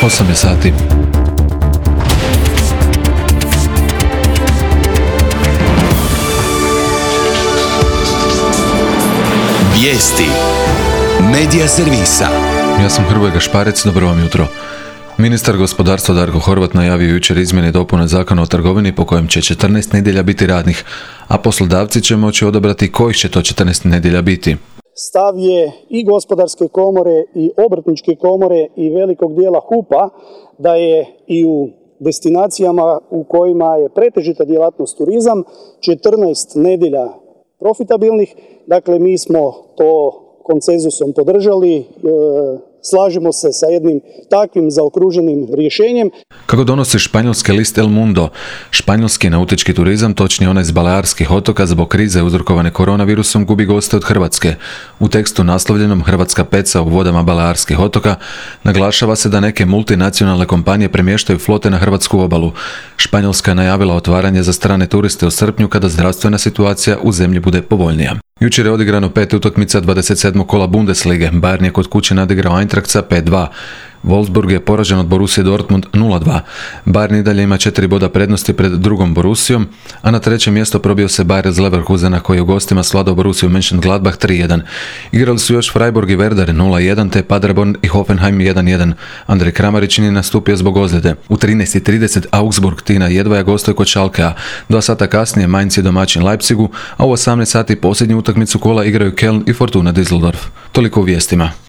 8 je sati. Vijesti Medija servisa. Ja sam Hrvoje Gašparec, dobro vam jutro. Ministar gospodarstva Darko Horvat najavio jučer izmjene i dopune Zakona o trgovini po kojem će 14 nedjelja biti radnih, a poslodavci će moći odabrati kojih će to 14 nedjelja biti. Stav je i gospodarske komore i obrtničke komore i velikog dijela HUP-a da je i u destinacijama u kojima je pretežita djelatnost turizam 14 nedjelja profitabilnih. Dakle, mi smo to konsenzusom podržali, slažemo se sa jednim takvim zaokruženim rješenjem. Kako donosi španjolski list El Mundo, španjolski nautički turizam, točnije onaj s Balearskih otoka, zbog krize uzrokovane koronavirusom gubi goste od Hrvatske. U tekstu naslovljenom Hrvatska peca u vodama Balearskih otoka naglašava se da neke multinacionalne kompanije premještaju flote na hrvatsku obalu. Španjolska je najavila otvaranje za strane turiste u srpnju kada zdravstvena situacija u zemlji bude povoljnija. Jučer je odigrano 5 utakmica 27. kola Bundeslige. Bayern je kod kuće nadigrao Eintracht 5-2. Wolfsburg je poražen od Borussia Dortmund 0-2. Bayern i dalje ima 4 boda prednosti pred drugom Borussijom, a na treće mjesto probio se Bayer iz Leverkusena koji je u gostima svladao Borussiju Mönchengladbach 3-1. Igrali su još Freiburg i Werder 0-1 te Paderborn i Hoffenheim 1-1. Andrej Kramarić nije nastupio zbog ozljede. U 13:30 Augsburg Tina Jedvaja gostuje kod Schalkea. 2 sata kasnije Mainz je domaćin Leipzigu, a u 18 sati posljednju utakmicu kola igraju Köln i Fortuna Düsseldorf. Toliko u vijestima.